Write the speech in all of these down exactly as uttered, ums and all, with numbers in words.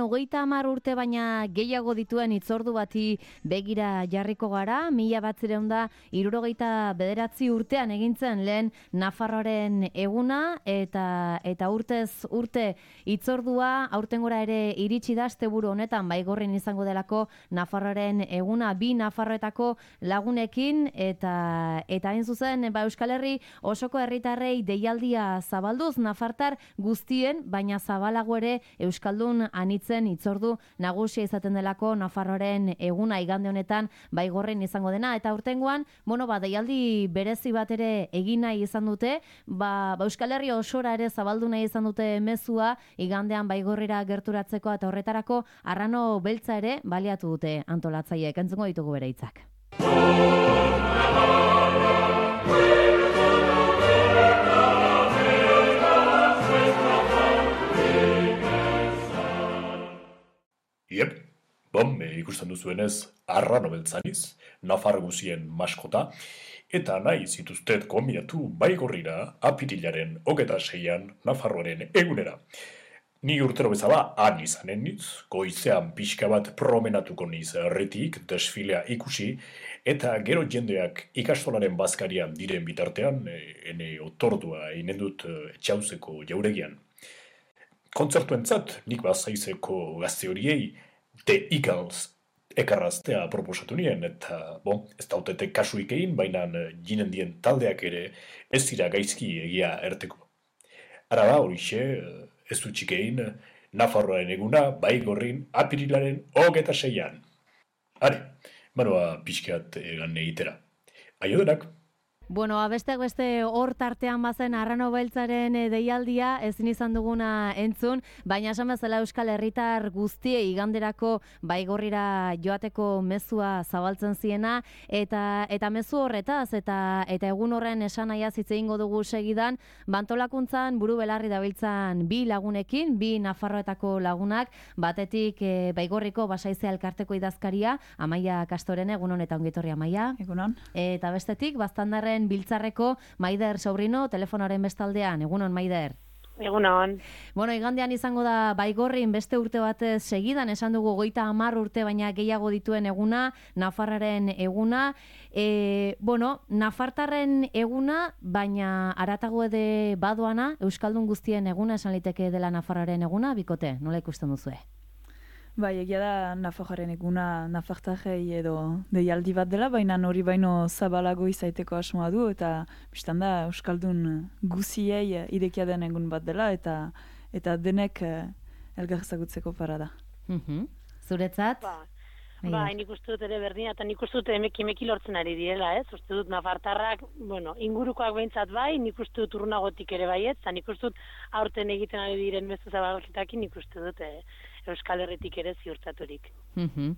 Hogeita hamar urte baina gehiago dituen hitzordu bati begira jarriko gara, mila batzireun da hirurogeita bederatzi urtean egintzen lehen Nafarroaren eguna, eta eta urtez urte hitzordua aurtengora ere iritsi da asteburu honetan Baigorrin izango delako Nafarroaren eguna bi Nafarroetako lagunekin, eta eta hain zuzen ba, Euskal Herri osoko herritarrei deialdia zabalduz nafartar guztien, baina zabalago ere euskaldun anitz hitzordu nagusia izaten delako Nafarroaren eguna igande honetan Baigorrin izango dena, eta urtengoan, bueno, ba, deialdi berezi bat ere egin nahi izan dute, ba, ba Euskal Herri osora ere zabaldu nahi izan dute mezua igandean Baigorrira gerturatzeko, eta horretarako arrano beltza ere baliatu dute antolatzaileek. Entzungo ditugu bere hitzak. Iep, bom, ikusten duzuenez, arrano beltzaniz, Nafar guzien maskota, eta nahi zituztet gonbidatu Baigorrira apirilaren hogeta seian Nafarroaren egunera. Ni urtero bezala han izanen niz, goizean pixka bat promenatuko niz herritik desfilea ikusi, eta gero jendeak ikastolaren bazkarian diren bitartean, ene otordua einen dut etxauzeko jauregian. Kontzertuentzat, nik bazaizeko gazte horiei The Eagles ekarraztea proposatu nien, eta bon, ez dautete kasuik egin, baina jinen dien taldeak ere ez dira gaizki egia erteko. Ara da horixe, ez dutxik egin, Nafarroaren eguna Baigorrin apirilaren hogeta seian. Are, manoa pixkat egan egitera. Aio denak! Bueno, besteak beste hor tartean bazen arrano beltzaren deialdia ezin izan duguna entzun, baina esan bezala Euskal Herritar guztiei iganderako Baigorrira joateko mezua zabaltzen ziena, eta eta mezu horretaz eta eta egun horren esanaia hitz egingo dugu segidan, bantolakuntzan buru belarri dabiltzan bi lagunekin, bi Nafarroetako lagunak, batetik e, Baigorriko Basaize elkarteko idazkaria, Amaia Kastorene, egun hon eta ongi etorri Amaia. Egunon. Eta bestetik Baztandarren biltzarreko Maider Sobrino, telefonoaren bestaldean. Egunon, Maider. Egunon. Bueno, igandean izango da Baigorrin beste urte batez segidan, esan dugu goita hamar urte baina gehiago dituen eguna, Nafarraren eguna. E, bueno, Nafartarren eguna, baina aratago ede badoana, Euskaldun guztien eguna esan liteke dela Nafarraren eguna, bikote, nola ikusten duzue? Bai, egia da Nafarroaren eguna Nafartarrei edo deialdi bat dela, baina hori baino zabalago izaiteko asmoa du, eta bistan da Euskaldun guziei irekia den egun bat dela, eta eta denek elgar ezagutzeko parada. Mm-hmm. Zuretzat? Ba, ba nik uste dut ere berdina, eta nik uste dut emeki emeki lortzen ari direla, ez? Uste dut Nafartarrak, bueno, ingurukoak behintzat bai, nik uste dut urrunagotik ere bai, ez? Eta nik uste dut aurten egiten ari diren mezu zabalketakin, nik uste dut, eh, Euskal Herritik ere ziurtaturik. Mm-hmm.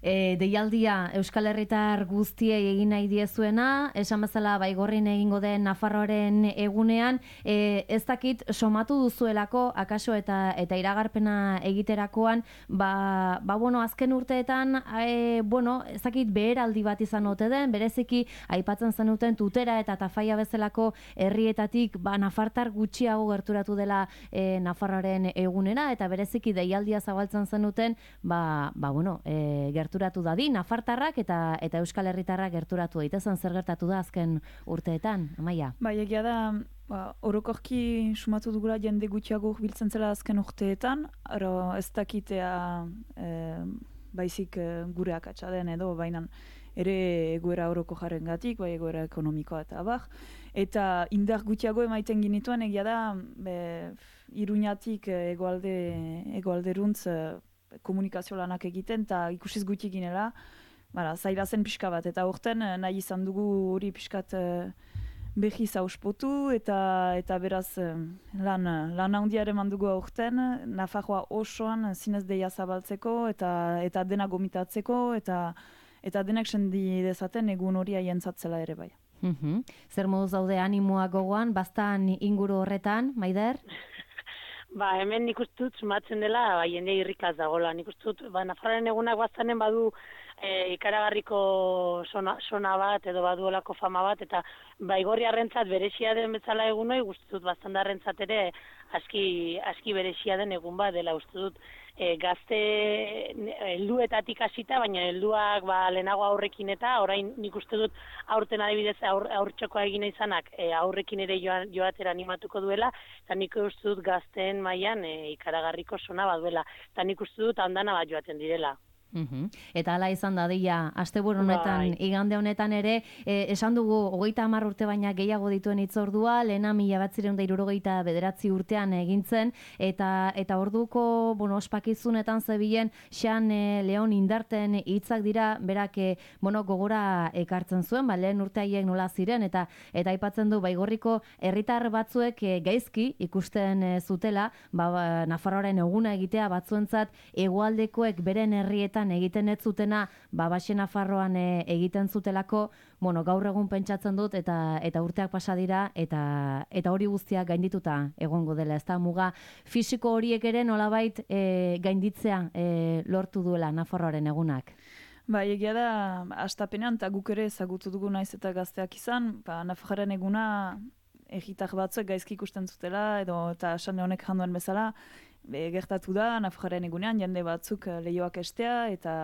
E, deialdia Euskal Herritar guztiei egin nahi diezuena, esan bezala Baigorrin egingo den Nafarroaren egunean, e, ez dakit somatu duzuelako, akaso eta eta iragarpena egiterakoan, ba, ba bueno, azken urteetan, e, bueno, ez dakit beheraldi bat izan ote den, bereziki aipatzen zenuten Tutera eta Tafaia bezalako herrietatik, ba, Nafartar gutxiago gerturatu dela e, Nafarroaren egunera, eta bereziki deialdia zabaltzen zenuten, ba, ba bueno, e, gerturatu dadi, Nafartarrak eta eta Euskal Herritarrak gerturatu daitezen. Zer gertatu da azken urteetan, Amaia? Bai, egia da, ba, orokorki sumatu dugula jende gutxiago biltzen zela azken urteetan, aro ez dakitea e, baizik e, gure akatsa den edo, baina ere egoera oroko jarrengatik, bai egoera ekonomikoa eta abar, eta indar gutxiago emaiten ginituen, egia da, be, Iruñatik egoalde, egoalderuntz komunikazio lanak egiten, eta ikusiz gutxi ginela, bara, zaila zen pixka bat, eta horten nahi izan dugu hori pixkat behi zauspotu, eta, eta beraz lan, lan handia ere mandugu horten, Nafarroa osoan zinez deia zabaltzeko, eta, eta dena gomitatzeko, eta, eta denek sendi dezaten egun hori aientzatzela ere bai. Mm-hmm. Zer moduz daude animoak gogoan, bastan inguru horretan, Maider? Ba, hemen nik uste dut sumatzen dela, ba, jende irrikaz dagoela. Nik uste dut, ba, Nafarroaren egunak baztanen badu e, ikaragarriko sona, sona bat edo baduolako fama bat, eta Baigorriarrentzat berezia den bezala egunoi, uste dut Baztandarrentzat ere aski, aski berezia den egun bat dela uste dut. E, gazte helduetatik hasita, baina helduak ba, lehenago aurrekin eta orain nik uste dut aurten adibidez aur, aurtxokoa egin izanak e, aurrekin ere joan, joatera animatuko duela, eta nik uste dut gazteen mailan e, ikaragarriko sona bat duela, eta nik uste dut handana bat joaten direla. Uhum. Eta hala izan dadila, asteburu honetan, bai. Igande honetan ere, eh, esan dugu, hogeita hamar urte baina gehiago dituen hitzordua, lehena mila batzireun da hirurogeita bederatzi urtean egintzen, eta eta orduko, bueno, ospakizunetan zebilen, Xan eh, Leon Indarten hitzak dira, berak, eh, bueno, gogora ekartzen zuen, ba, lehen urte haiek nola ziren, eta eta aipatzen du, Baigorriko herritar batzuek eh, gaizki ikusten eh, zutela, ba, ba, Nafarroaren eguna egitea batzuentzat, hegoaldekoek beren herrietan egiten ez zutena, ba, Baxe Nafarroan e, egiten zutelako, bueno, gaur egun pentsatzen dut, eta eta urteak pasa dira, eta eta hori guztiak gaindituta egongo dela, ezta muga fisiko horiek ere nolabait e, gainditzea e, lortu duela Nafarroaren egunak. Ba, egia da, astapenean, eta guk ere ezagutu dugu naiz eta gazteak izan, ba, Nafarroaren eguna egitak batzuek gaizki ikusten zutela, edo eta Xan Leonek janduen bezala, Be, gertatu da, Nafarroaren egunean, jende batzuk lehioak estea, eta,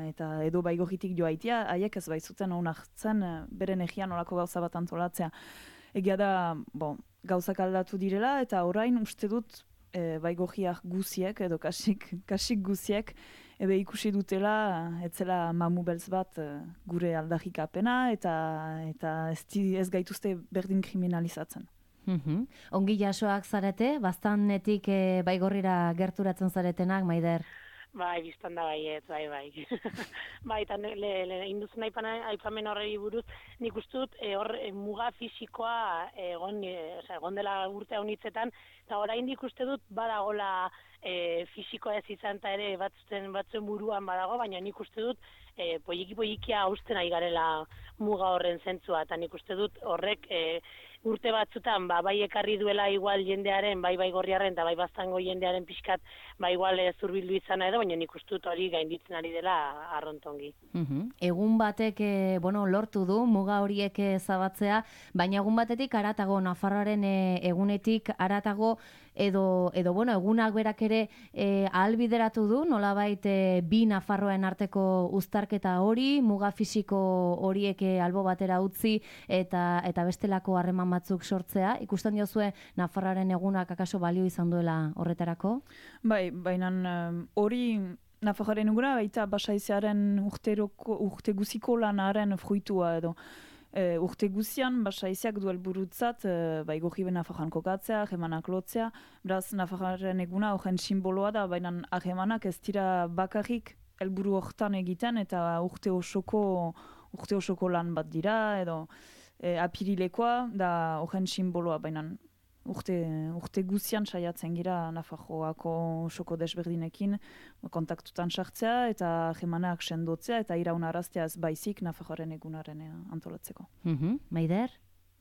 eta edo Baigorritik joaitia, haiek ez baitzuten onartzen beren egian olako gauza bat antolatzea. Egia da, bo, gauzak aldatu direla, eta orain uste dut e, Baigorriak guziek, edo kasik, kasik guziek, ebe ikusi dutela, etzela mamu beltz bat gure aldarrikapena, eta, eta ez, ez gaituzte berdin kriminalizatzen. Uhum. Ongi jasoak zarete, baztanetik e, Baigorrira gerturatzen zaretenak, Maider? Bai, biztan da baiet, bai, bai. Bai, eta induzen aipamen horrei buruz, nik uste dut e, hor e, muga fisikoa egon, e, oza, egon dela urte honitzetan, eta orain nik uste dut badagola e, fisikoa ez izan eta ere batzuen, batzuen buruan badago, baina nik uste dut e, poiki-poikia hausten ari garela muga horren zentzua, eta nik uste dut horrek e, urte batzutan, ba, bai ekarri duela igual jendearen, bai Baigorriarren eta bai Baztango jendearen pixkat, ba igual e, zurbildu izana edo, baina nik uste dut hori gainditzen ari dela arrontongi. Uhum. Egun batek, e, bueno, lortu du, muga horiek zabatzea, baina egun batetik aratago, Nafarroaren e, egunetik aratago, edo, edo bueno, egunak berak ere e, ahalbideratu du, nolabait e, bi Nafarroen arteko uztarketa hori, muga fisiko horiek albo batera utzi, eta, eta bestelako harreman batzuk sortzea. Ikusten diozue Nafarroaren egunak akaso balio izan duela horretarako? Bai, baina hori um, Nafarroaren eguna baita Basaizearen urteroko, urte guziko lanaren fruitua edo. E, urte guzian Basaizeak duel burutzat e, Baigorri ben Nafarroan kokatzea, ahemanak lotzea, beraz Nafarroaren eguna horren simboloa da, baina ahemanak ez dira bakarrik helburu hortan egiten, eta urte osoko, urte osoko lan bat dira, edo E, apirilekoa da horren simboloa, baina urte, urte guzian saiatzen gira Nafarroako osoko desberdinekin kontaktutan sartzea eta jemanak sendotzea eta iraunaraztea ez baizik Nafarroaren egunaren antolatzeko. Mm-hmm. Maider?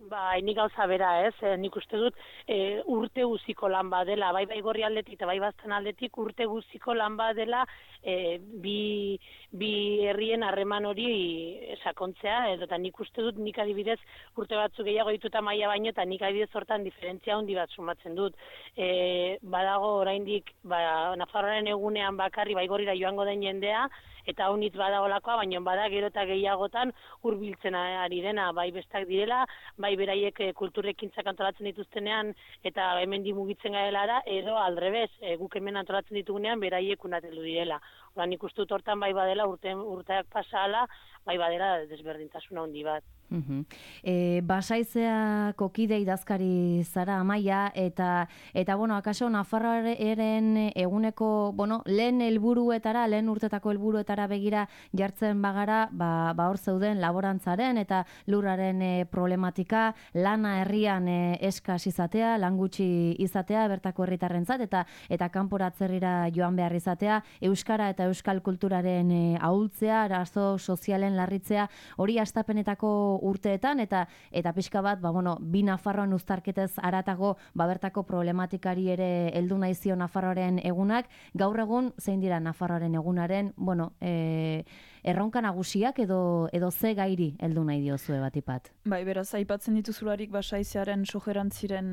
Ba, nik gauza bera ez, e, nik uste dut e, urte guziko lan badela, bai Baigorri aldetik eta bai Baztan aldetik urte guziko lan badela e, bi, bi herrien harreman hori sakontzea, edo eta nik uste dut nik adibidez urte batzu gehiago dituta maila baino, eta nik adibidez hortan diferentzia handi bat sumatzen dut. E, badago oraindik ba, Nafarroaren egunean bakarri Baigorrira joango den jendea, eta honitz badagoelakoa, baina bada gero eta gehiagotan hurbiltzen ari dena, bai bestak direla, bai beraiek e, kulturrekintzak antolatzen dituztenean, eta hemen mugitzen garelara, edo aldrebez, e, guk hemen antolatzen ditugunean, beraiek unatelu direla. Oda, nik uste dut hortan bai badela, urte, urteak pasala, bai badela desberdintasuna handi bat. Uhum. E, Basaizeako kide idazkari zara Amaia, eta eta bueno, akaso Nafarroaren eguneko, bueno, lehen helburuetara, lehen urtetako helburuetara begira jartzen bagara, ba, ba hor zeuden laborantzaren eta lurraren e, problematika, lana herrian e, eskas izatea, lan gutxi izatea bertako herritarrentzat, eta eta kanporatzerrira joan behar izatea, euskara eta euskal kulturaren e, ahultzea, arazo sozialen larritzea, hori hastapenetako urteetan, eta eta pixka bat, ba, bueno, bi Nafarroan uztarketez aratago, ba, bertako problematikari ere heldu naizio Nafarroaren egunak. Gaur egun, zein dira Nafarroaren egunaren, bueno, e, erronka nagusiak edo edo ze gairi heldu nahi diozue batipat? Bai, beraz, aipatzen dituzularik basaizearen sojerantziren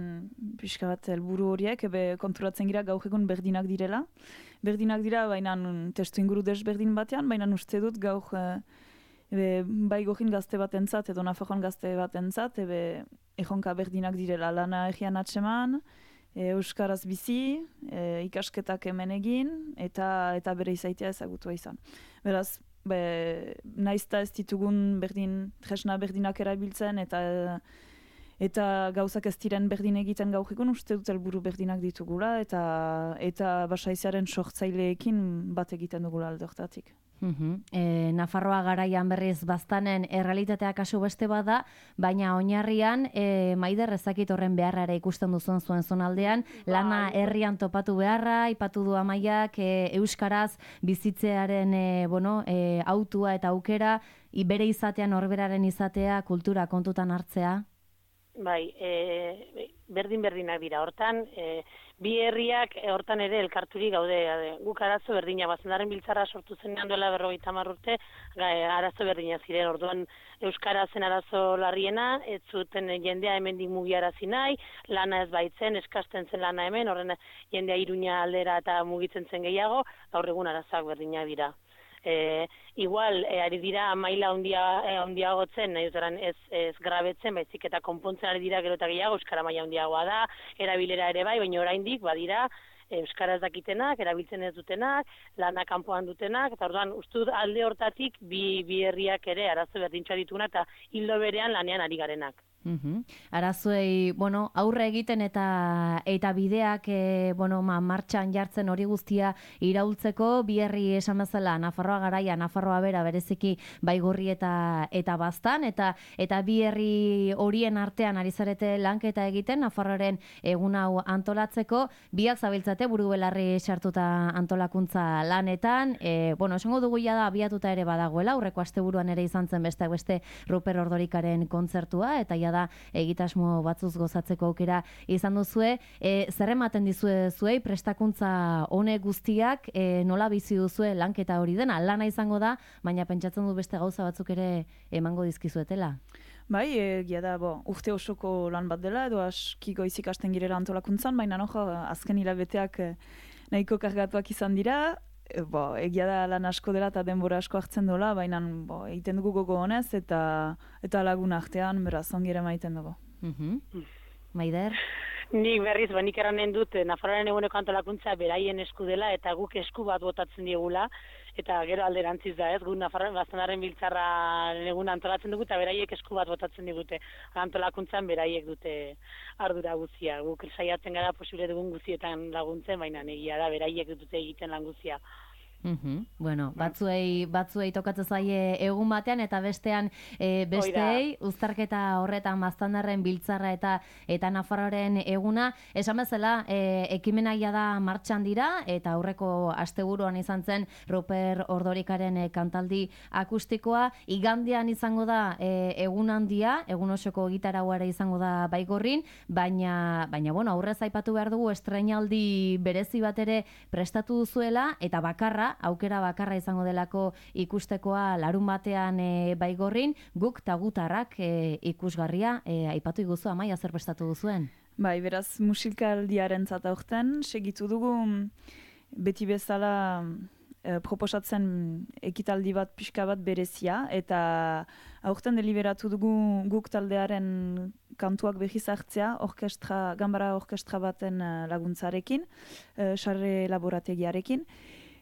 pixka bat helburu horiek, ebe konturatzen gira gaur egun berdinak direla. Berdinak dira, baina testu inguru desberdin batean, baina uste dut gaur ebe, bai gojin gazte bat entzat, edo Nafarroan gazte bat entzat, ebe ejonka berdinak direla lana egian atseman, e, euskaraz bizi, e, ikasketak hemen egin, eta eta bere izaitea ezagutua izan. Beraz, be, naizta ez ditugun berdin, tresna berdinak erabiltzen, eta eta gauzak ez diren berdin egiten gaur egun, uste dut helburu berdinak ditugula, eta eta basaizearen sortzaileekin bat egiten dugula alde hortatik. Uhum. E, Nafarroa garaian berriz baztanen errealitatea kasu beste bada, baina oinarrian e, Maider ezakit horren beharra ere ikusten duzuen zuen zonaldean, lana herrian topatu beharra, aipatu du Amaiak, e, euskaraz bizitzearen e, bueno, e, autua eta aukera, bere izatean norberaren izatea, kultura kontutan hartzea. Bai, e, berdin-berdinak dira. Hortan, e, bi herriak e, hortan ere elkarturik gaude. E, guk arazo berdina, Baztandaren biltzarra sortu zenean duela berrogeita hamar urte, ga, e, arazo berdina ziren. Orduan, euskara zen arazo larriena, ez zuten jendea hemendik mugiarazi nahi, lana ez baitzen, eskasten zen lana hemen, horren jendea Iruña aldera eta mugitzen zen gehiago, gaur egun arazak berdinak dira. E, igual, e, ari dira maila handia e, handiagotzen, ez, ez, ez grabetzen, baizik eta konpontzen ari dira gero eta gehiago, euskara maila handiagoa da, erabilera ere bai, baina oraindik badira euskaraz dakitenak, erabiltzen ez dutenak, lana kanpoan dutenak, eta orduan, uste dut alde hortatik bi, bi herriak ere arazo berdintxoa ditunak eta hildo berean lanean ari garenak. Uhum. Arazoei, bueno, aurre egiten eta eta bideak e, bueno, ma, martxan jartzen hori guztia iraultzeko, bi herri esan bezala Nafarroa garaia, Nafarroa bera bereziki Baigorri eta eta Baztan, eta eta bi herri horien artean ari zarete lanketa egiten Nafarroaren egun hau antolatzeko, biak zabiltzate buru belarri sartuta antolakuntza lanetan, e, bueno, esango dugu ja da abiatuta ere badagoela, aurreko asteburuan ere izan zen besteak beste Ruper Ordorikaren kontzertua, eta ja da egitasmo batzuz gozatzeko aukera izan duzue. E, zer ematen dizue zuei prestakuntza honek guztiak, e, nola bizi duzue lanketa hori dena? Lana izango da, baina pentsatzen du beste gauza batzuk ere emango dizkizuetela. Bai, egia da, bo, urte osoko lan bat dela, edo aski goizik hasten girela antolakuntzan, baina no, azken hilabeteak nahiko kargatuak izan dira. E, bo, egia da lan asko dela eta denbora asko hartzen dola, baina bo, egiten dugu gogo honez eta eta lagun artean beraz ongi ere maiten dugu. Mhm. Maider? Nik berriz, ba, nik eranen dut, Nafarroaren eguneko antolakuntza beraien esku dela eta guk esku bat botatzen diegula, eta gero alderantziz da, ez, guk Nafarroaren Baztandaren biltzarra egun antolatzen dugu eta beraiek esku bat botatzen digute. Antolakuntzan beraiek dute ardura guzia. Guk saiatzen gara posible dugun guzietan laguntzen, baina egia da beraiek dute egiten lan guzia. Uhum. Bueno, batzuei, batzuei tokatzen zaie egun batean eta bestean e, besteei, uztarketa horretan Baztandarren biltzarra eta eta Nafarroaren eguna, esan bezala e, ekimenaia da martxan dira eta aurreko asteburuan izan zen Ruper Ordorikaren e, kantaldi akustikoa, igandean izango da e, egun handia, egun osoko gitarauara izango da Baigorrin, baina baina bueno, aurrez aipatu behar dugu estreinaldi berezi bat ere prestatu duzuela eta bakarra aukera bakarra izango delako ikustekoa larun batean e, Baigorrin, guk tagutarrak e, ikusgarria e, aipatu iguzu Amaia zer prestatu duzuen? Bai, beraz musikaldiaren zata aurten, segitu dugu beti bezala e, proposatzen ekitaldi bat pixka bat berezia, eta aurten deliberatu dugu guk taldearen kantuak behiz hartzea, orkestra, gambara orkestra baten laguntzarekin, e, sarre laborategiarekin,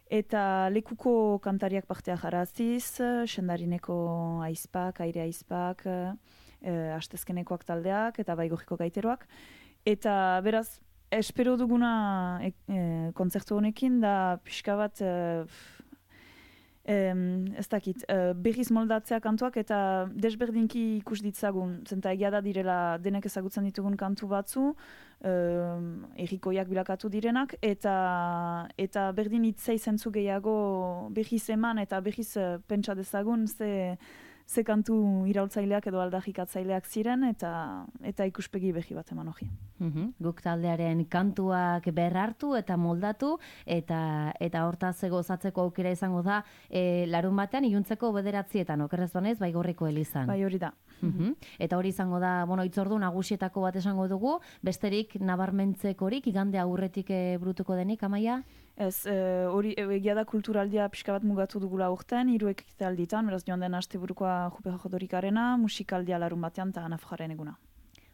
eta lekuko kantariak partea jaraziz, sendarineko aizpak, aire aizpak, e, astezkenekoak taldeak eta Baigorriko gaiteroak. Eta beraz, espero duguna e, e, kontzertu honekin da pixka bat e, e, ez dakit, e, berriz moldatzea kantuak eta desberdinki ikus ditzagun, zenta egia da direla denek ezagutzen ditugun kantu batzu, Uh, errikoiak bilakatu direnak, eta eta berdin hitzei zentzu gehiago berriz eman eta berriz uh, pentsa dezagun ze, ze kantu iraultzaileak edo aldarrikatzaileak ziren, eta eta ikuspegi behi bat eman hori. Mhm. Guk taldearen kantuak berrartu eta moldatu, eta eta hortaz gozatzeko aukera izango da e, larun batean iluntzeko bederatzietan, okerrez banaiz, Baigorriko elizan. Bai, hori da. Mhm. Eta hori izango da, bueno, itzordu nagusietako bat esango dugu, besterik nabarmentzekorik igande aurretik e, burutuko denik, Amaia? Ez, hori e, egia da kulturaldia pixka bat mugatu dugula urten, hiru ekitalditan, beraz joan den asteburukoa Jupe Jodorikarena, musikaldia larun batean eta Nafarraren eguna.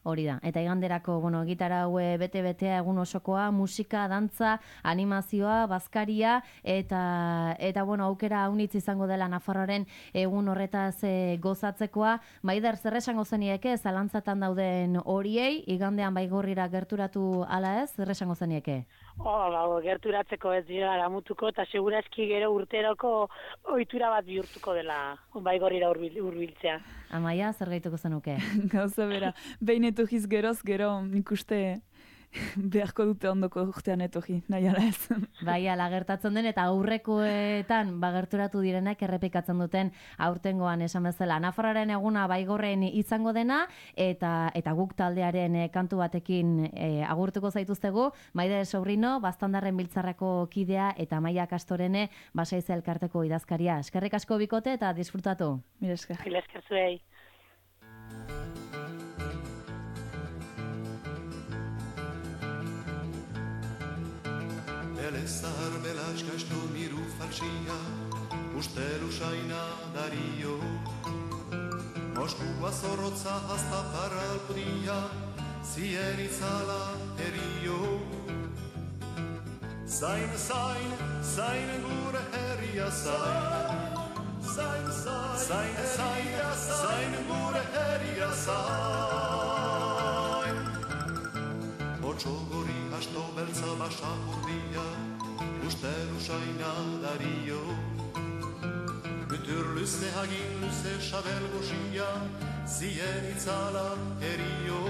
Hori da, eta iganderako, bueno, gitara haue bete-betea egun osokoa, musika, dantza, animazioa, bazkaria, eta, eta bueno, aukera haunitz izango dela Nafarroaren egun horretaz e, gozatzekoa. Maider, zer esango zenieke, zalantzatan dauden horiei, igandean Baigorrira gerturatu ala ez, zer esango zenieke? Oh, ba, gerturatzeko ez dira aramutuko, eta segurazki gero urteroko ohitura bat bihurtuko dela Baigorrira hurbil, hurbiltzea. Amaia, zer gaituko zenuke? Gauza bera, behin etorriz geroz, gero nik uste beharko dute ondoko urtean etorri, nahi ala ez. Bai, ala gertatzen den, eta aurrekoetan bagerturatu direnak errepikatzen duten aurtengoan esan bezala. Nafarraren eguna Baigorren izango dena, eta eta guk taldearen e, kantu batekin e, agurtuko zaituztegu, Maide Sobrino, Baztandarren Biltzarrako kidea, eta Amaia Kastorene, Basaize elkarteko idazkaria. Eskerrik asko bikote eta disfrutatu. Mila esker. Mila esker zuei. Elezahar belaskastu miru falsia, ustelu saina dario. Moskua zorrotza hasta paralpria, zien itzala erio. Zain, zain, zain gure herria zain. Zain, zain, zain, zain, zain gure herria zain. Otxogori hasto beltza basapurdia, ustelu saina dario. Mütür lüze hagin lüze xabel goxia, zien itzala erio.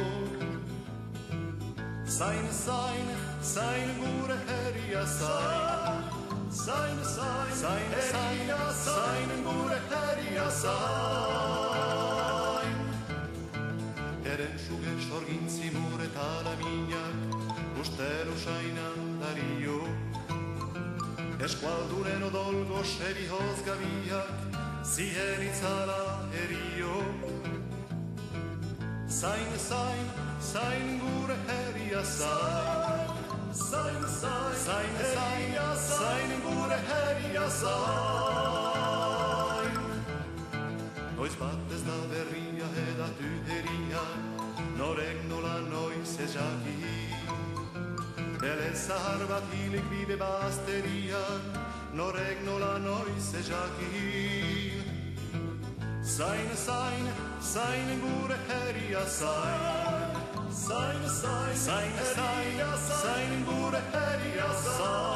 Zain, zain, zain gure herria zain. Zain, zain, zain, zain, zain gure herria zain. Eren suge sorgintzi mure talaminak, ustelu sainan dario. Eskualduren odolgo xeri hozgabiak, zien itzala erio. Zain, zain, zain gure herria zain. Zain, zain, zain, zain, zain gure herria zain. Noiz bat ez da berria edatu heria, norek nola noiz ez jaki. Elezahar bat hilik bide bazterian, norek nola noiz ez jaki. Zain, zain, zain gure herria zain. Zain, zain, zain, zain, zain gure herria zain.